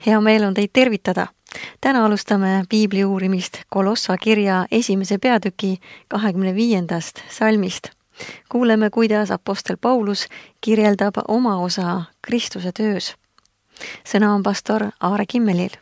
Hea meel on teid tervitada. Täna alustame piibli uurimist Kolossa kirja 1. peatüki 25. salmist. Kuuleme, kuidas apostel Paulus kirjeldab oma osa Kristuse töös. Sõna on pastor Aare Kimmelil.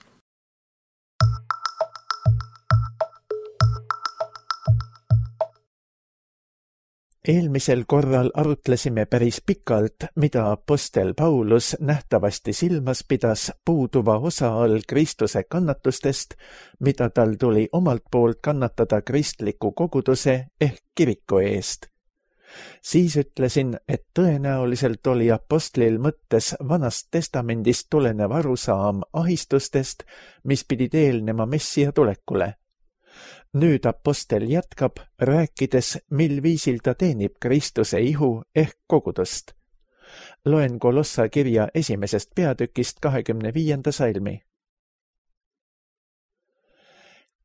Eelmisel korral arutlesime päris pikalt, mida apostel Paulus nähtavasti silmas pidas puuduva osa all Kristuse kannatustest, mida tal tuli omalt poolt kannatada kristliku koguduse ehk kiriku eest. Siis ütlesin, et tõenäoliselt oli apostlil mõttes Vanast Testamendist tulenev arusaam ahistustest, mis pidid eelnema Messia tulekule. Nüüd apostel jätkab, rääkides, mil viisil ta teenib Kristuse ihu ehk kogudust. Loen Kolossa kirja 1. peatükist 25. salmi.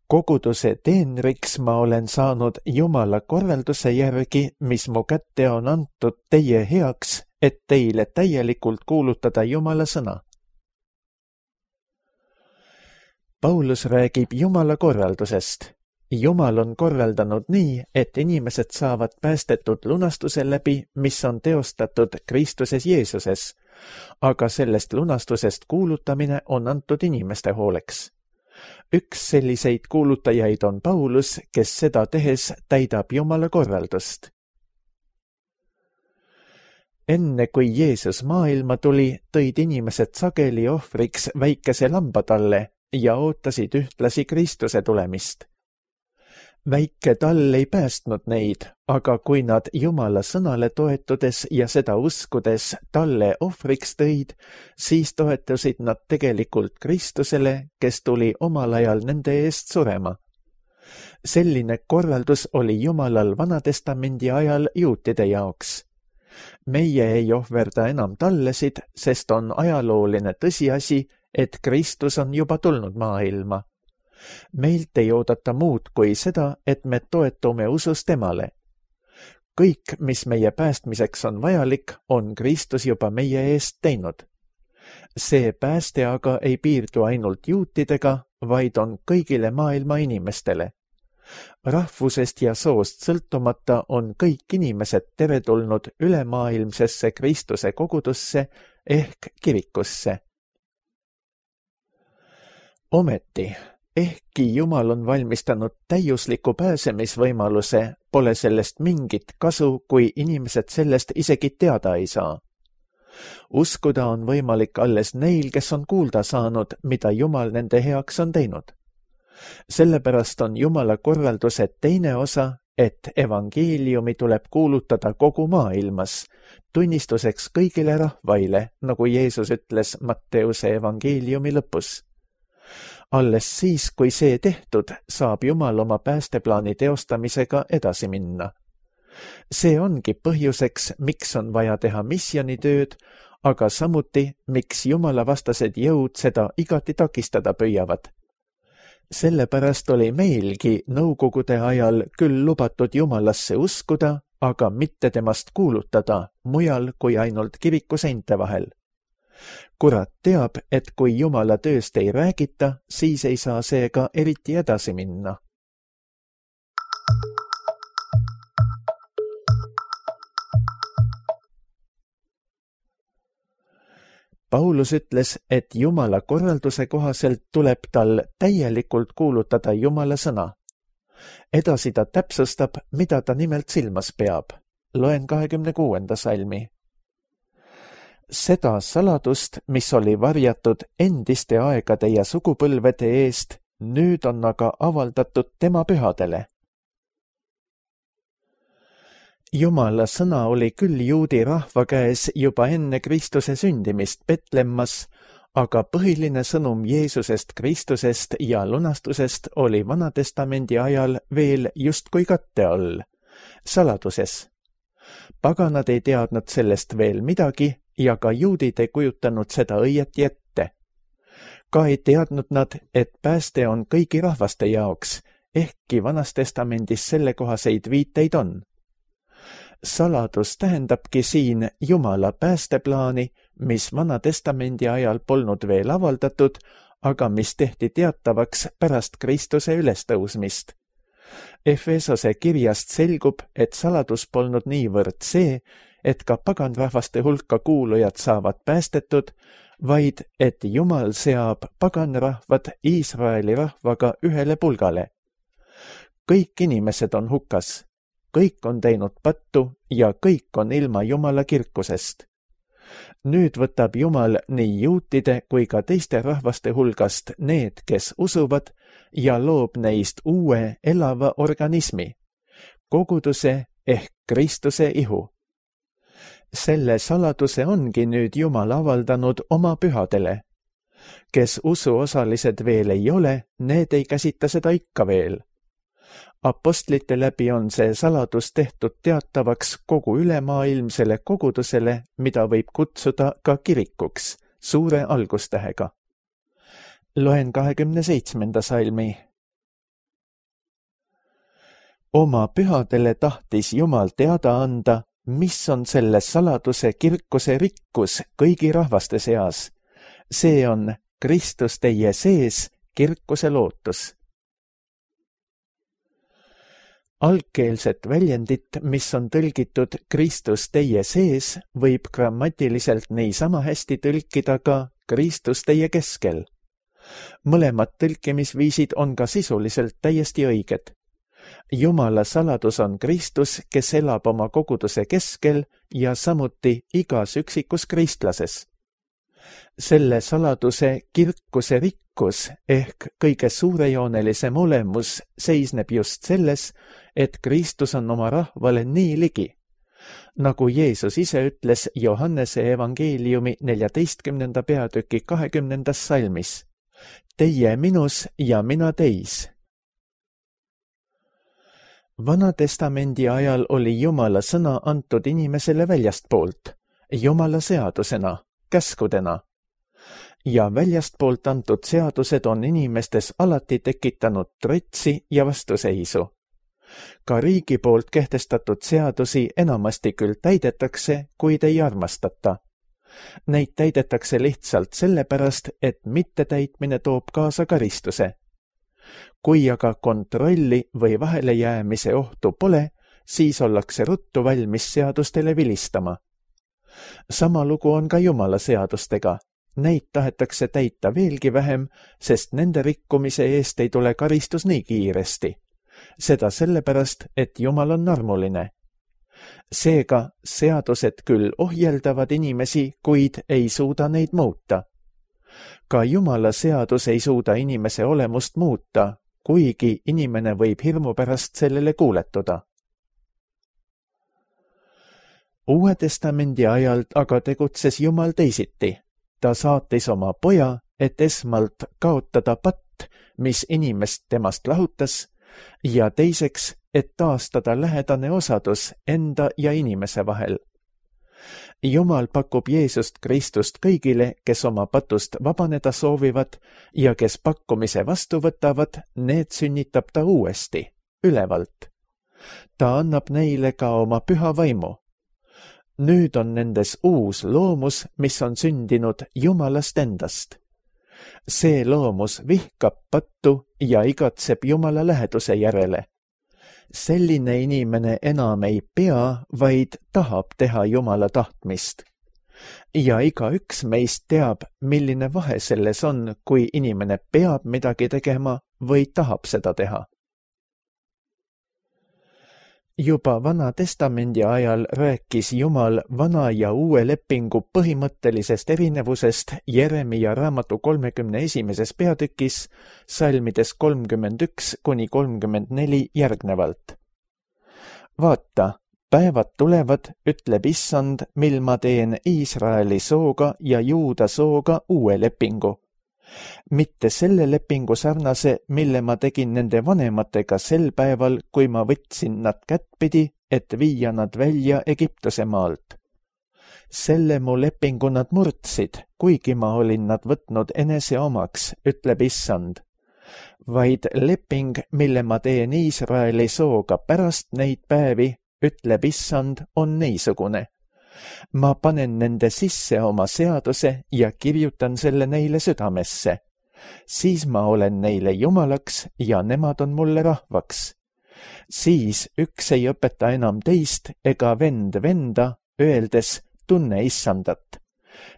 Koguduse teenriks ma olen saanud Jumala korralduse järgi, mis mu kätte on antud teie heaks, et teile täielikult kuulutada Jumala sõna. Paulus räägib Jumala korraldusest. Jumal on korraldanud nii, et inimesed saavad päästetud lunastuse läbi, mis on teostatud Kristuses Jeesuses, aga sellest lunastusest kuulutamine on antud inimeste hooleks. Üks selliseid kuulutajaid on Paulus, kes seda tehes täidab Jumala korraldust. Enne kui Jeesus maailma tuli, tõid inimesed sageli ohvriks väikese lamba talle ja ootasid ühtlasi Kristuse tulemist. Väike tall ei päästnud neid, aga kui nad Jumala sõnale toetudes ja seda uskudes talle ohvriks tõid, siis toetusid nad tegelikult Kristusele, kes tuli omal ajal nende eest surema. Selline korraldus oli Jumalal Vanatestamendi ajal juutide jaoks. Meie ei ohverda enam tallesid, sest on ajalooline tõsiasi, et Kristus on juba tulnud maailma. Meilt ei oodata muud kui seda, et me toetume usus temale. Kõik, mis meie päästmiseks on vajalik, on Kristus juba meie eest teinud. See pääste aga ei piirdu ainult juutidega, vaid on kõigile maailma inimestele. Rahvusest ja soost sõltumata on kõik inimesed teretulnud ülemaailmsesse Kristuse kogudusse ehk kirikusse. Ometi, ehkki Jumal on valmistanud täiusliku pääsemisvõimaluse, pole sellest mingit kasu, kui inimesed sellest isegi teada ei saa. Uskuda on võimalik alles neil, kes on kuulda saanud, mida Jumal nende heaks on teinud. Sellepärast on Jumala korralduse teine osa, et evangeeliumi tuleb kuulutada kogu maailmas, tunnistuseks kõigile rahvaile, nagu Jeesus ütles Matteuse evangeeliumi lõpus. Alles siis, kui see tehtud, saab Jumal oma päästeplaani teostamisega edasi minna. See ongi põhjuseks, miks on vaja teha missioonitööd, aga samuti, miks Jumala vastased jõud seda igati takistada püüavad. Sellepärast oli meilgi nõukogude ajal küll lubatud Jumalasse uskuda, aga mitte temast kuulutada mujal kui ainult kiriku seinte vahel. Kurat teab, et kui Jumala tööst ei räägita, siis ei saa seega eriti edasi minna. Paulus ütles, et Jumala korralduse kohaselt tuleb tal täielikult kuulutada Jumala sõna. Edasi ta täpsustab, mida ta nimelt silmas peab. Loen 26. salmi. Seda saladust, mis oli varjatud endiste aegade ja sugupõlvede eest, nüüd on aga avaldatud tema pühadele. Jumala sõna oli küll juudi rahva käes juba enne Kristuse sündimist Betlemmas, aga põhiline sõnum Jeesusest Kristusest ja lunastusest oli Vanatestamendi ajal veel justkui katte all, saladuses. Paganad ei teadnud sellest veel midagi ja ka juudid ei kujutanud seda õieti ette. Ka ei teadnud nad, et pääste on kõigi rahvaste jaoks, ehkki Vanas Testamendis sellekohaseid viiteid on. Saladus tähendabki siin Jumala päästeplaani, mis Vana Testamendi ajal polnud veel avaldatud, aga mis tehti teatavaks pärast Kristuse ülestõusmist. Efesose kirjast selgub, et saladus polnud niivõrd see, et ka paganrahvaste hulka kuulujad saavad päästetud, vaid et Jumal seab paganrahvad Iisraeli rahvaga ühele pulgale. Kõik inimesed on hukas, kõik on teinud pattu ja kõik on ilma Jumala kirkusest. Nüüd võtab Jumal nii juutide kui ka teiste rahvaste hulgast need, kes usuvad, ja loob neist uue elava organismi, koguduse ehk Kristuse ihu. Selle saladuse ongi nüüd Jumal avaldanud oma pühadele. Kes usuosalised veel ei ole, need ei käsita seda ikka veel. Apostlite läbi on see saladus tehtud teatavaks kogu ülemaailmsele kogudusele, mida võib kutsuda ka kirikuks, suure algustähega. Loen 27. salmi. Oma pühadele tahtis Jumal teada anda, mis on selle saladuse kirkuse rikkus kõigi rahvaste seas. See on Kristus teie sees, kirkuse lootus. Algkeelset väljendit, mis on tõlgitud Kristus teie sees, võib grammatiliselt niisama hästi tõlkida ka Kristus teie keskel. Mõlemad tõlkimisviisid on ka sisuliselt täiesti õiged. Jumala saladus on Kristus, kes elab oma koguduse keskel ja samuti igas üksikus kristlases. Selle saladuse kirkuse rikkus ehk kõige suurejoonelisem olemus seisneb just selles, et Kristus on oma rahvale nii ligi. Nagu Jeesus ise ütles Johannese evangeeliumi 14. peatüki 20. salmis. Teie minus ja mina teis. Vana Testamendi ajal oli Jumala sõna antud inimesele väljastpoolt, Jumala seadusena, käskudena. Ja väljastpoolt antud seadused on inimestes alati tekitanud trotsi ja vastuseisu. Ka riigi poolt kehtestatud seadusi enamasti küll täidetakse, kuid ei armastata. Neid täidetakse lihtsalt sellepärast, et mittetäitmine toob kaasa karistuse. Kui aga kontrolli või vahelejäämise ohtu pole, siis ollakse ruttu valmis seadustele vilistama. Sama lugu on ka Jumala seadustega. Neid tahetakse täita veelgi vähem, sest nende rikkumise eest ei tule karistus nii kiiresti. Seda sellepärast, et Jumal on armuline. Seega seadused küll ohjeldavad inimesi, kuid ei suuda neid muuta. Ka Jumala seadus ei suuda inimese olemust muuta, kuigi inimene võib hirmu pärast sellele kuuletuda. Uue Testamendi ajal aga tegutses Jumal teisiti. Ta saatis oma poja, et esmalt kaotada patt, mis inimest temast lahutas, ja teiseks, et taastada lähedane osadus enda ja inimese vahel. Jumal pakub Jeesust Kristust kõigile, kes oma patust vabaneda soovivad ja kes pakkumise vastu võtavad, need sünnitab ta uuesti, ülevalt. Ta annab neile ka oma püha vaimu. Nüüd on nendes uus loomus, mis on sündinud Jumalast endast. See loomus vihkab pattu ja igatseb Jumala läheduse järele. Selline inimene enam ei pea, vaid tahab teha Jumala tahtmist. Ja igaüks meist teab, milline vahe selles on, kui inimene peab midagi tegema või tahab seda teha. Juba Vana Testamendi ajal rääkis Jumal Vana ja Uue lepingu põhimõttelisest erinevusest Jeremia raamatu 31. peatükis, salmides 31–34 järgnevalt. Vaata, päevad tulevad, ütleb Issand, mil ma teen Iisraeli sooga ja Juuda sooga uue lepingu. Mitte selle lepingu sarnase, mille ma tegin nende vanematega sel päeval, kui ma võtsin nad kättpidi, et viia nad välja Egiptuse maalt. Selle mu lepingu nad murdsid, kuigi ma olin nad võtnud enese omaks, ütleb Issand. Vaid leping, mille ma teen Iisraeli sooga pärast neid päevi, ütleb issand, on niisugune. Ma panen nende sisse oma seaduse ja kirjutan selle neile südamesse. Siis ma olen neile jumalaks ja nemad on mulle rahvaks. Siis üks ei õpeta enam teist ega vend venda, öeldes tunne issandat,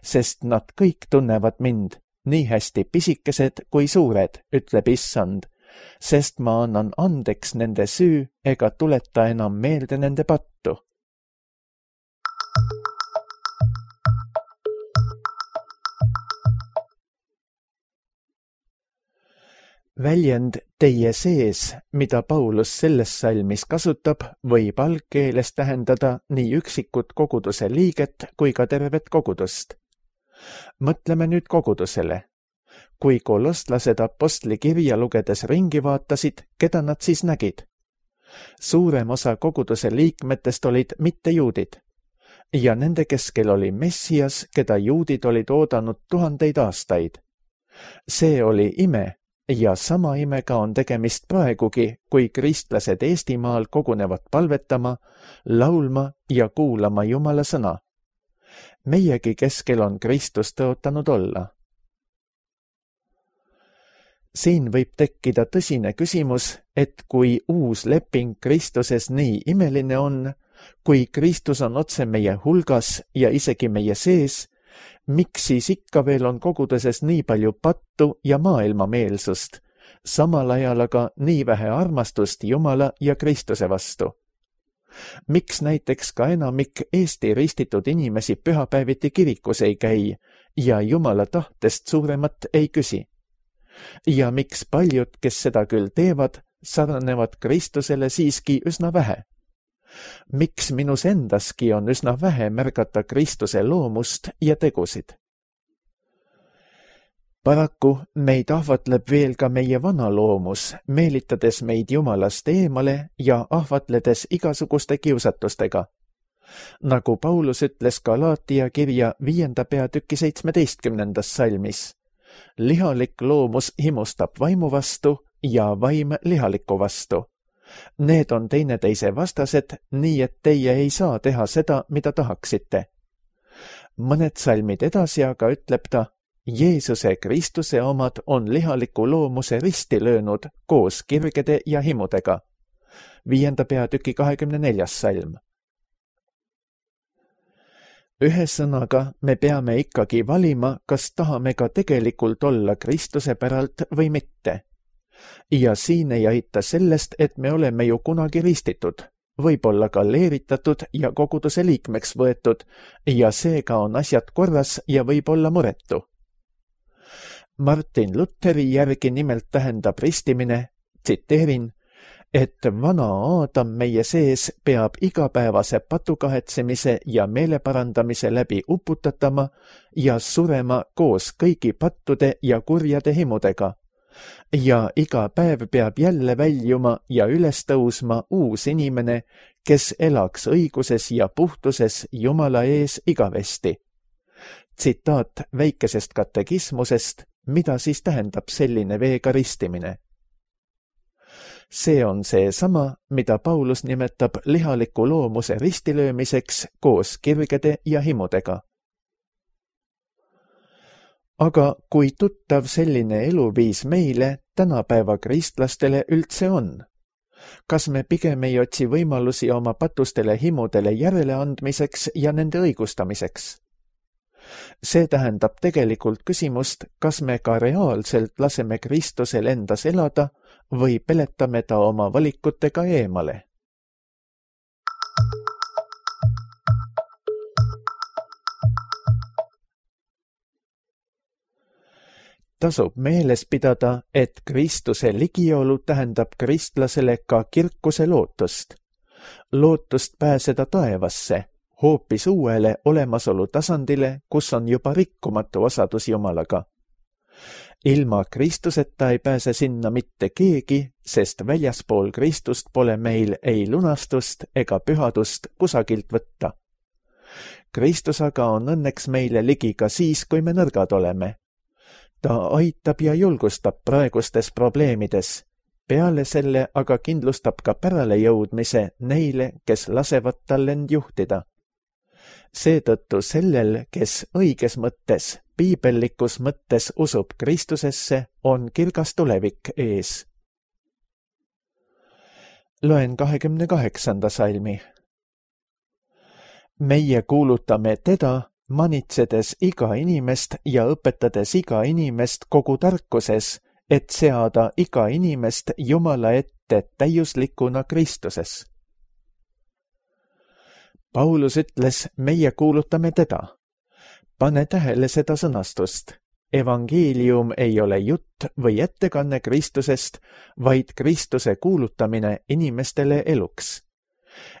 sest nad kõik tunnevad mind, nii hästi pisikesed kui suured, ütleb issand, sest ma annan andeks nende süü ega tuleta enam meelde nende pattu. Väljend teie sees, mida Paulus selles salmis kasutab, võib algkeeles tähendada nii üksikut koguduse liiget kui ka tervet kogudust. Mõtleme nüüd kogudusele. Kui kolostlased apostli kirja lugedes ringi vaatasid, keda nad siis nägid? Suurem osa koguduse liikmetest olid mittejuudid ja nende keskel oli Messias, keda juudid olid oodanud 1000 aastaid. See oli ime. Ja sama imega on tegemist praegugi, kui kristlased Eestimaal kogunevad palvetama, laulma ja kuulama Jumala sõna. Meiegi keskel on Kristus tõotanud olla. Siin võib tekkida tõsine küsimus, et kui uus leping Kristuses nii imeline on, kui Kristus on otse meie hulgas ja isegi meie sees, miks siis ikka veel on koguduses nii palju pattu ja maailmameelsust, samal ajal aga nii vähe armastust Jumala ja Kristuse vastu? Miks näiteks ka enamik Eesti ristitud inimesi pühapäeviti kirikus ei käi ja Jumala tahtest suuremat ei küsi? Ja miks paljud, kes seda küll teevad, sarnanevad Kristusele siiski üsna vähe? Miks minus endaski on üsna vähe märgata Kristuse loomust ja tegusid? Paraku meid ahvatleb veel ka meie vana loomus, meelitades meid Jumalast eemale ja ahvatledes igasuguste kiusatustega. Nagu Paulus ütles Galaatia kirja 5. peatüki 17. salmis, lihalik loomus himustab vaimu vastu ja vaim lihaliku vastu. Need on teineteise vastased, nii et teie ei saa teha seda, mida tahaksite. Mõned salmid edasi aga ütleb ta, Jeesuse Kristuse omad on lihaliku loomuse risti löönud koos kirgede ja himudega. 5. peatüki 24. salm. Ühesõnaga, me peame ikkagi valima, kas tahame ka tegelikult olla Kristuse päralt või mitte. Ja siin ei aita sellest, et me oleme ju kunagi ristitud, võib-olla ka leeritatud ja koguduse liikmeks võetud ja seega on asjad korras ja võib olla muretu. Martin Lutheri järgi nimelt tähendab ristimine, tsiteerin, et vana Aadam meie sees peab igapäevase patukahetsemise ja meeleparandamise läbi uputatama ja surema koos kõigi pattude ja kurjade himudega. Ja iga päev peab jälle väljuma ja üles tõusma uus inimene, kes elaks õiguses ja puhtuses Jumala ees igavesti. Tsitaat väikesest katekismusest, mida siis tähendab selline veega ristimine. See on seesama, mida Paulus nimetab lihaliku loomuse ristilöömiseks koos kirgede ja himudega. Aga kui tuttav selline eluviis meile, tänapäeva kristlastele üldse on? Kas me pigem ei otsi võimalusi oma patustele himudele järeleandmiseks ja nende õigustamiseks? See tähendab tegelikult küsimust, kas me ka reaalselt laseme Kristusel endas elada või peletame ta oma valikutega eemale. Tasub meeles pidada, et Kristuse ligiolu tähendab kristlasele ka kirkuse lootust. Lootust pääseda taevasse, hoopis uuele olemasolu tasandile, kus on juba rikkumatu osadus Jumalaga. Ilma Kristuseta ei pääse sinna mitte keegi, sest väljaspool Kristust pole meil ei lunastust ega pühadust kusagilt võtta. Kristus aga on õnneks meile ligi ka siis, kui me nõrgad oleme. Ta aitab ja julgustab praegustes probleemides Peale selle aga kindlustab ka päralejõudmise neile, kes lasevad tal end juhtida. Seetõttu sellel, kes õiges mõttes, piibellikus mõttes usub Kristusesse, on kirgas tulevik ees. Loen 28. salmi. Meie kuulutame teda, manitsedes iga inimest ja õpetades iga inimest kogu tarkuses, et seada iga inimest Jumala ette täiuslikuna Kristuses. Paulus ütles, meie kuulutame teda. Pane tähele seda sõnastust. Evangeelium ei ole jutt või ettekanne Kristusest, vaid Kristuse kuulutamine inimestele eluks.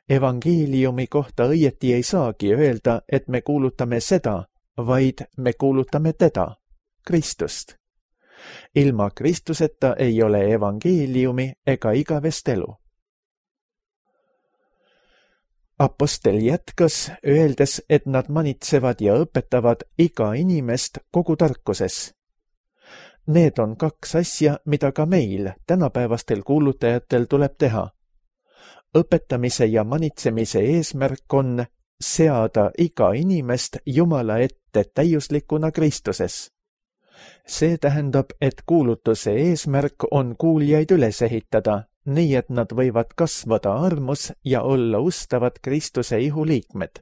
Evangeeliumi kohta õieti ei saagi öelda, et me kuulutame seda, vaid me kuulutame teda, Kristust. Ilma Kristuseta ei ole evangeeliumi ega igavest elu. Apostel jätkas, öeldes, et nad manitsevad ja õpetavad iga inimest kogu tarkuses. Need on kaks asja, mida ka meil, tänapäevastel kuulutajatel tuleb teha. Õpetamise ja manitsemise eesmärk on seada iga inimest Jumala ette täiuslikuna Kristuses. See tähendab, et kuulutuse eesmärk on kuuljaid üles ehitada, nii et nad võivad kasvada armus ja olla ustavad Kristuse ihuliikmed.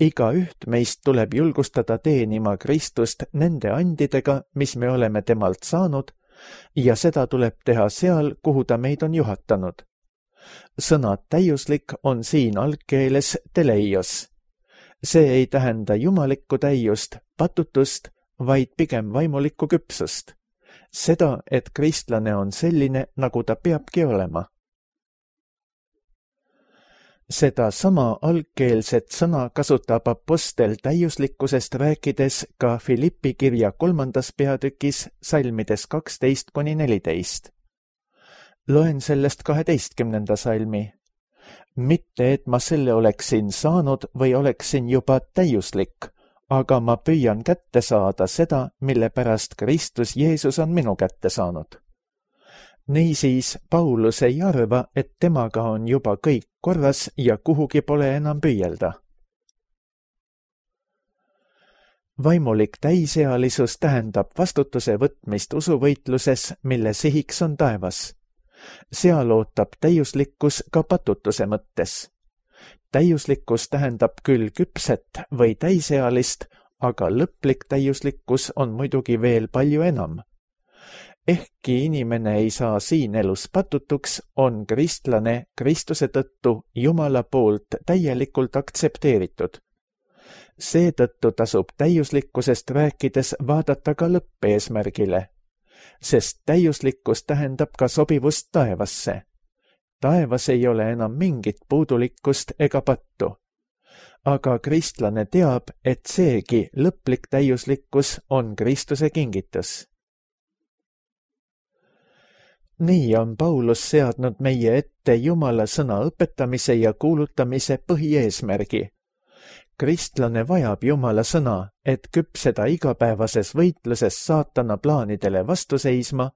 Igaüht meist tuleb julgustada teenima Kristust nende andidega, mis me oleme temalt saanud, ja seda tuleb teha seal, kuhu ta meid on juhatanud. Sõna täiuslik on siin algkeeles teleios. See ei tähenda jumalikku täiust, patutust, vaid pigem vaimulikku küpsust. Seda, et kristlane on selline, nagu ta peabki olema. Seda sama algkeelset sõna kasutab apostel täiuslikkusest rääkides ka Filippi kirja 3. peatükis salmides 12-14. Loen sellest 12. salmi. Mitte, et ma selle oleksin saanud või oleksin juba täiuslik, aga ma püüan kätte saada seda, mille pärast Kristus Jeesus on minu kätte saanud. Niisiis, Paulus ei arva, et temaga on juba kõik korras ja kuhugi pole enam püüelda. Vaimulik täisealisus tähendab vastutuse võtmist usuvõitluses, mille sihiks on taevas. Seal ootab täiuslikkus ka patutuse mõttes. Täiuslikkus tähendab küll küpset või täisealist, aga lõplik täiuslikkus on muidugi veel palju enam. Ehkki inimene ei saa siin elus patutuks, on kristlane Kristuse tõttu Jumala poolt täielikult aktsepteeritud. Seetõttu tasub täiuslikkusest rääkides vaadata ka lõppeesmärgile, sest täiuslikkus tähendab ka sobivust taevasse. Taevas ei ole enam mingit puudulikkust ega pattu. Aga kristlane teab, et seegi lõplik täiuslikkus on Kristuse kingitus. Nii on Paulus seadnud meie ette Jumala sõna õpetamise ja kuulutamise põhieesmärgi. Kristlane vajab Jumala sõna, et küpseda igapäevases võitluses saatana plaanidele vastu seisma,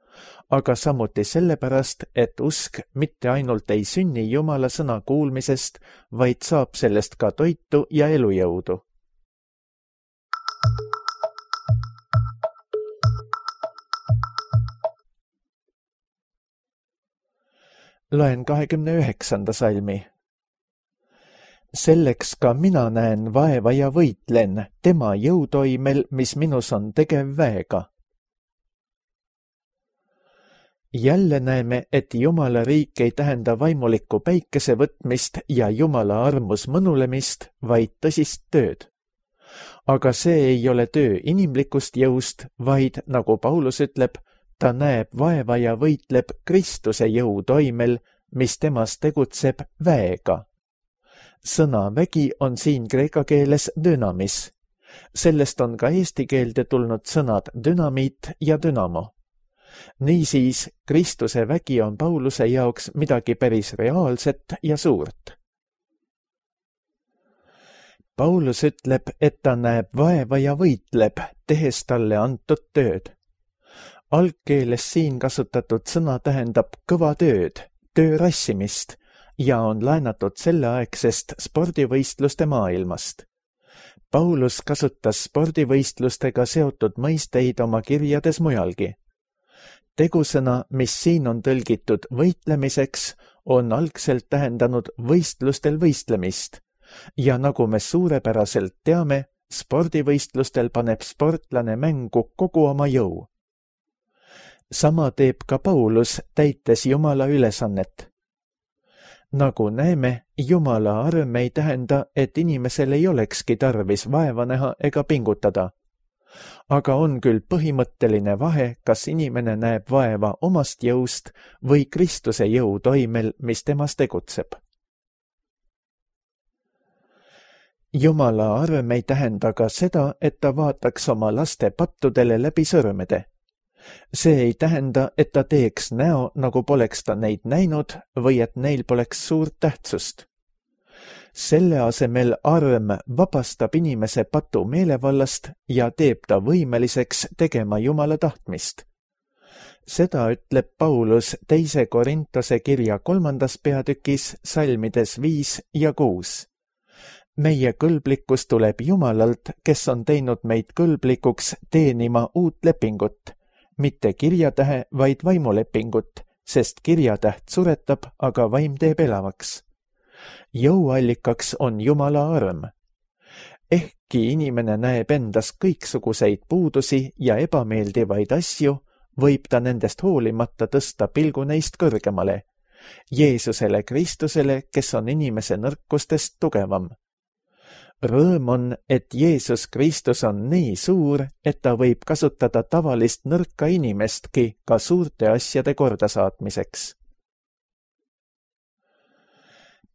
aga samuti sellepärast, et usk mitte ainult ei sünni Jumala sõna kuulmisest, vaid saab sellest ka toitu ja elujõudu. Loen 29. salmi. Selleks ka mina näen vaeva ja võitlen tema jõutoimel, mis minus on tegev väega. Jälle näeme, et Jumala riik ei tähenda vaimulikku päikese võtmist ja Jumala armus mõnulemist, vaid tõsist tööd. Aga see ei ole töö inimlikust jõust, vaid, nagu Paulus ütleb, ta näeb vaeva ja võitleb Kristuse jõutoimel, mis temas tegutseb väega. Sõna vägi on siin kreeka keeles dünamis. Sellest on ka eesti keelde tulnud sõnad dünamiit ja dünamo. Niisiis, Kristuse vägi on Pauluse jaoks midagi päris reaalset ja suurt. Paulus ütleb, et ta näeb vaeva ja võitleb, tehes talle antud tööd. Algkeeles siin kasutatud sõna tähendab kõva tööd, töö rassimist ja on laenatud selleaegsest spordivõistluste maailmast. Paulus kasutas spordivõistlustega seotud mõisteid oma kirjades mujalgi. Tegusõna, mis siin on tõlgitud võitlemiseks, on algselt tähendanud võistlustel võistlemist ja nagu me suurepäraselt teame, spordivõistlustel paneb sportlane mängu kogu oma jõu. Sama teeb ka Paulus, täites Jumala ülesannet. Nagu näeme, Jumala arm ei tähenda, et inimesel ei olekski tarvis vaeva näha ega pingutada. Aga on küll põhimõtteline vahe, kas inimene näeb vaeva omast jõust või Kristuse jõu toimel, mis temas tegutseb. Jumala arm ei tähenda ka seda, et ta vaataks oma laste pattudele läbi sõrmede. See ei tähenda, et ta teeks näo, nagu poleks ta neid näinud või et neil poleks suurt tähtsust. Selle asemel arm vabastab inimese patu meelevallast ja teeb ta võimeliseks tegema Jumala tahtmist. Seda ütleb Paulus 2. Korintuse kirja 3. peatükis salmides 5 ja 6. Meie kõlblikkus tuleb Jumalalt, kes on teinud meid kõlblikuks teenima uut lepingut, mitte kirjatähe, vaid vaimulepingut, sest kirjatäht suretab, aga vaim teeb elavaks. Jõuallikaks on Jumala arm. Ehkki inimene näeb endas kõiksuguseid puudusi ja ebameeldivaid asju, võib ta nendest hoolimata tõsta pilgu neist kõrgemale, Jeesusele Kristusele, kes on inimese nõrkustest tugevam. Rõõm on, et Jeesus Kristus on nii suur, et ta võib kasutada tavalist nõrka inimestki ka suurte asjade kordasaatmiseks.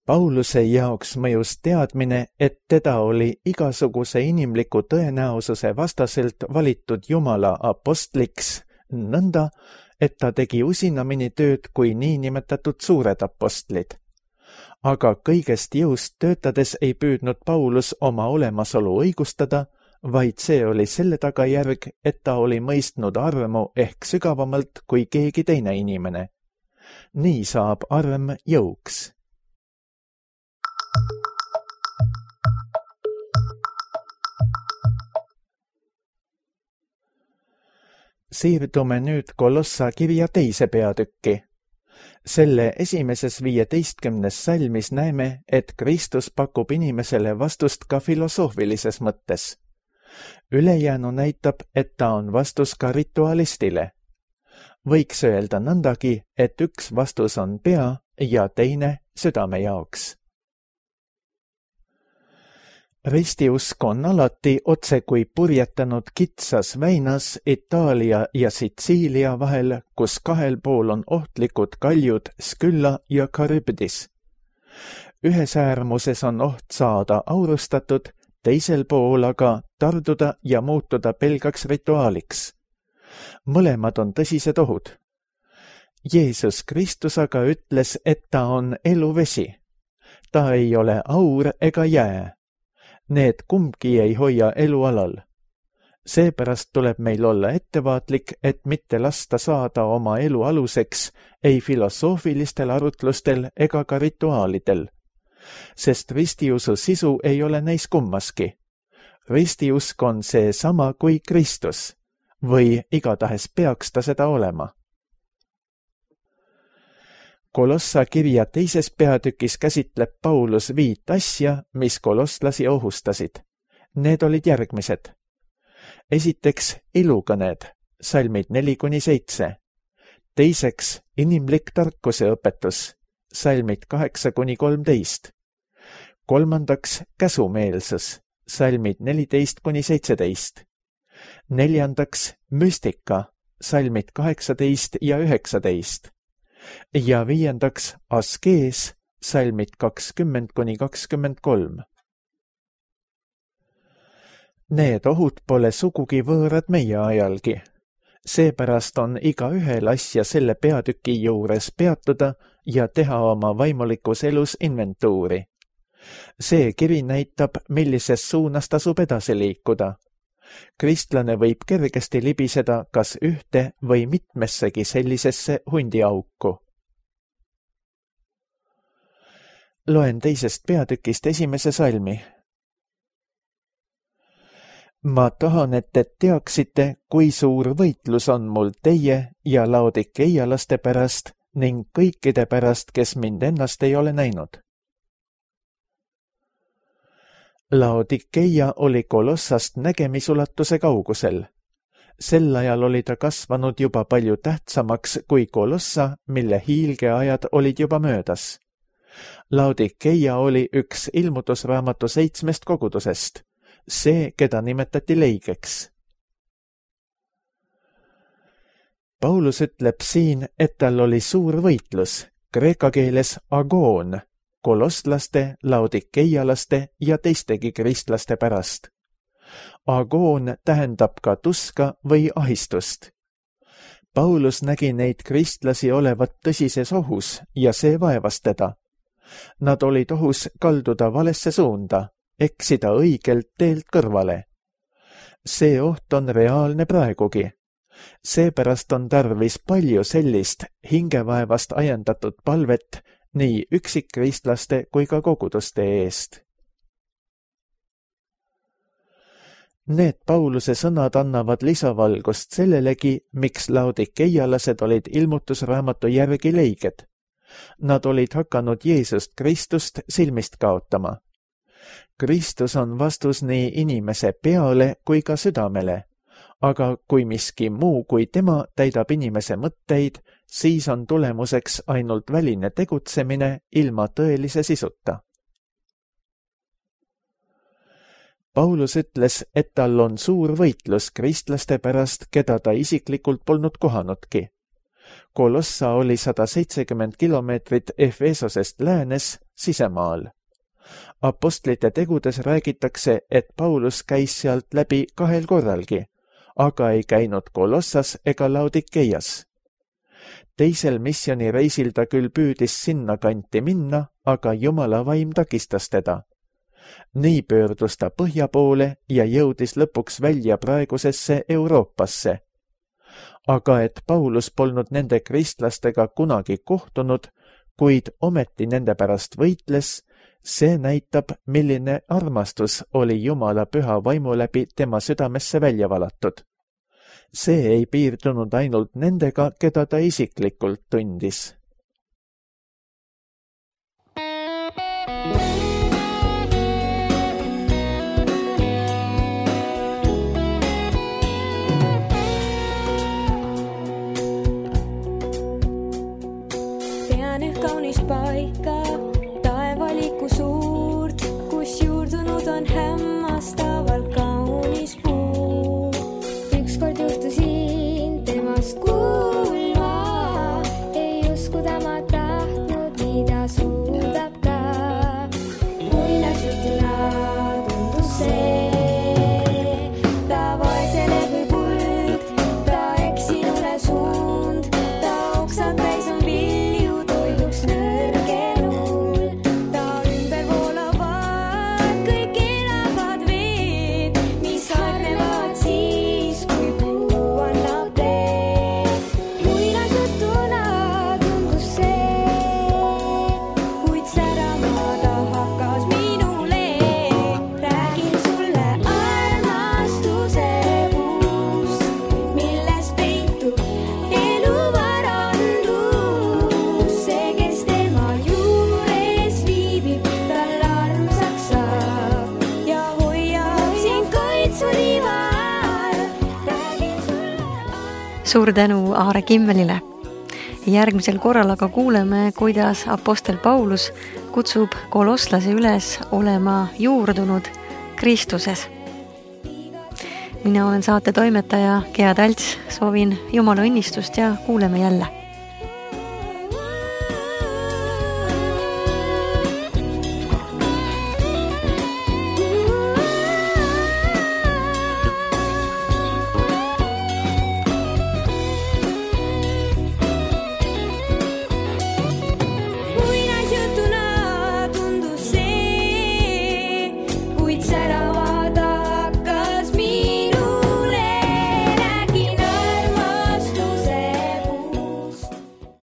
Pauluse jaoks mõjus teadmine, et teda oli igasuguse inimliku tõenäosuse vastaselt valitud Jumala apostliks, nõnda, et ta tegi usinamini tööd kui niinimetatud suured apostlid. Aga kõigest jõust töötades ei püüdnud Paulus oma olemasolu õigustada, vaid see oli selle tagajärg, et ta oli mõistnud armu ehk sügavamalt kui keegi teine inimene. Nii saab arm jõuks. Siirdume nüüd Kolossa kirja 2. peatükki. Selle esimeses 15. salmis näeme, et Kristus pakub inimesele vastust ka filosoofilises mõttes. Ülejäänu näitab, et ta on vastus ka ritualistile. Võiks öelda nõndagi, et üks vastus on pea ja teine südame jaoks. Ristiusk on alati otse kui purjetanud kitsas väinas Itaalia ja Sitsiilia vahel, kus kahel pool on ohtlikud kaljud Skylla ja Charybdis. Ühes äärmuses on oht saada aurustatud, teisel pool aga tarduda ja muutuda pelgaks rituaaliks. Mõlemad on tõsised ohud. Jeesus Kristus aga ütles, et ta on eluvesi. Ta ei ole aur ega jää. Need kumbki ei hoia elu alal. Seepärast tuleb meil olla ettevaatlik, et mitte lasta saada oma elu aluseks ei filosoofilistel arutlustel ega ka rituaalidel, sest ristiusu sisu ei ole neis kummaski. Ristiusk on see sama kui Kristus või igatahes peaks ta seda olema. Kolossa kirja 2. peatükis käsitleb Paulus 5 asja, mis kolosslasi ohustasid. Need olid järgmised. Esiteks ilukõned, salmid 4-7. Teiseks inimlik tarkuse õpetus, salmid 8-13. Kolmandaks käsumeelsus, salmid 14-17. Neljandaks müstika, salmid 18 ja 19. Ja viiendaks askees, salmid 20-23. Need ohud pole sugugi võõrad meie ajalgi. Seepärast on igaühel asja selle peatüki juures peatuda ja teha oma vaimulikus elus inventuuri. See kiri näitab, millises suunas tasub edasi liikuda. Kristlane võib kergesti libiseda kas ühte või mitmessegi sellisesse hundiauku. Loen 2. peatükist 1. salmi. Ma tahan, et te teaksite, kui suur võitlus on mul teie ja laodikeialaste pärast ning kõikide pärast, kes mind ennast ei ole näinud. Laodikeia oli Kolossast nägemisulatuse kaugusel. Sel ajal oli ta kasvanud juba palju tähtsamaks kui Kolossa, mille hiilgeajad olid juba möödas. Laodikeia oli üks ilmutusraamatu 7 kogudusest, see, keda nimetati leigeks. Paulus ütleb siin, et tal oli suur võitlus, kreeka keeles agoon, kolosslaste, laodikeialaste ja teistegi kristlaste pärast. Agoon tähendab ka tuska või ahistust. Paulus nägi neid kristlasi olevat tõsises ohus ja see vaevas teda. Nad olid ohus kalduda valesse suunda, eksida õigelt teelt kõrvale. See oht on reaalne praegugi. Seepärast on tarvis palju sellist hingevaevast ajendatud palvet nii üksikkristlaste kui ka koguduste eest. Need Pauluse sõnad annavad lisavalgust sellelegi, miks laodikeialased olid ilmutusraamatu järgi leiged. Nad olid hakanud Jeesust Kristust silmist kaotama. Kristus on vastus nii inimese peale kui ka südamele, aga kui miski muu kui tema täidab inimese mõtteid, siis on tulemuseks ainult väline tegutsemine ilma tõelise sisuta. Paulus ütles, et tal on suur võitlus kristlaste pärast, keda ta isiklikult polnud kohanudki. Kolossa oli 170 kilomeetrit Efesosest läänes sisemaal. Apostlite tegudes räägitakse, et Paulus käis sealt läbi 2 korralgi, aga ei käinud Kolossas ega Laodikeias. Teisel missioonireisil ta küll püüdis sinna kanti minna, aga Jumala vaim takistas teda. Nii pöördus ta põhja poole ja jõudis lõpuks välja praegusesse Euroopasse. Aga et Paulus polnud nende kristlastega kunagi kohtunud, kuid ometi nende pärast võitles, see näitab, milline armastus oli Jumala püha vaimu läbi tema südamesse välja valatud. See ei piirdunud ainult nendega, keda ta isiklikult tundis. Tean üht kaunist paika, taevaliku suurt, kus juurdunud on hämmastavalt kaunis puu. Ükskord juhtusin temast kuulma, ei uskuda ma tahtnud, mida suudab ta. Muinasjutuna tundus see, ta vaesele kui kuld, ta eksinule suund, ta oksad täis on vilju toiduks nõrgenul. Ta ümber voolavad kõik elavad veed, mis harnevad siis, kui puu annab teed. Muinasjutuna tundus see, kuid särama ta hakkas minule. Räägin sulle armastuse puust, milles peitub elu varandus. See, kes tema juures viibib, tal armsaks saab ja hoiab sind kaitsuriva all. Räägin sulle Suur tänu Aare Kimmelile. Järgmisel korral aga kuuleme, kuidas apostel Paulus kutsub kolosslasi üles olema juurdunud Kristuses. Mina olen saate toimetaja Gea Talts, soovin Jumala õnnistust ja kuuleme jälle.